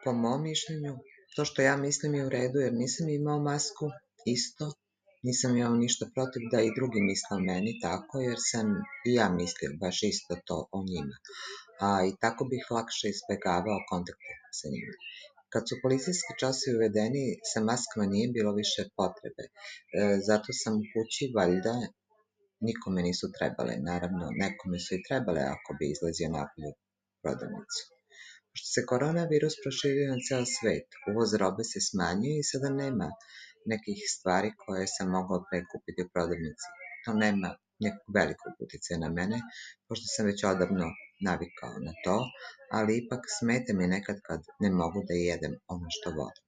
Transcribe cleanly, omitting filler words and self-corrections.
Po mom mišljenju, to što ja mislim je u redu jer nisam imao masku isto, nisam imao ništa protiv da i drugi misle o meni tako, jer sam i ja mislio baš isto to o njima. I tako bih lakše izbegavao kontakte sa njima. Kad su policijski časovi uvedeni, sa maskama nije bilo više potrebe. Zato sam u kući, valjda, nikome nisu trebale. Naravno, nekome su i trebale ako bi izlazio napolje u prodavnicu. Pošto se koronavirus proširio na ceo svet, uvoz robe se smanjuje i sada nema nekih stvari koje sam mogao pre kupiti u prodavnici. To nema nekog velikog uticaja na mene, pošto sam već odavno navikao na to, ali ipak smeta mi nekad kad ne mogu da jedem ono što volim.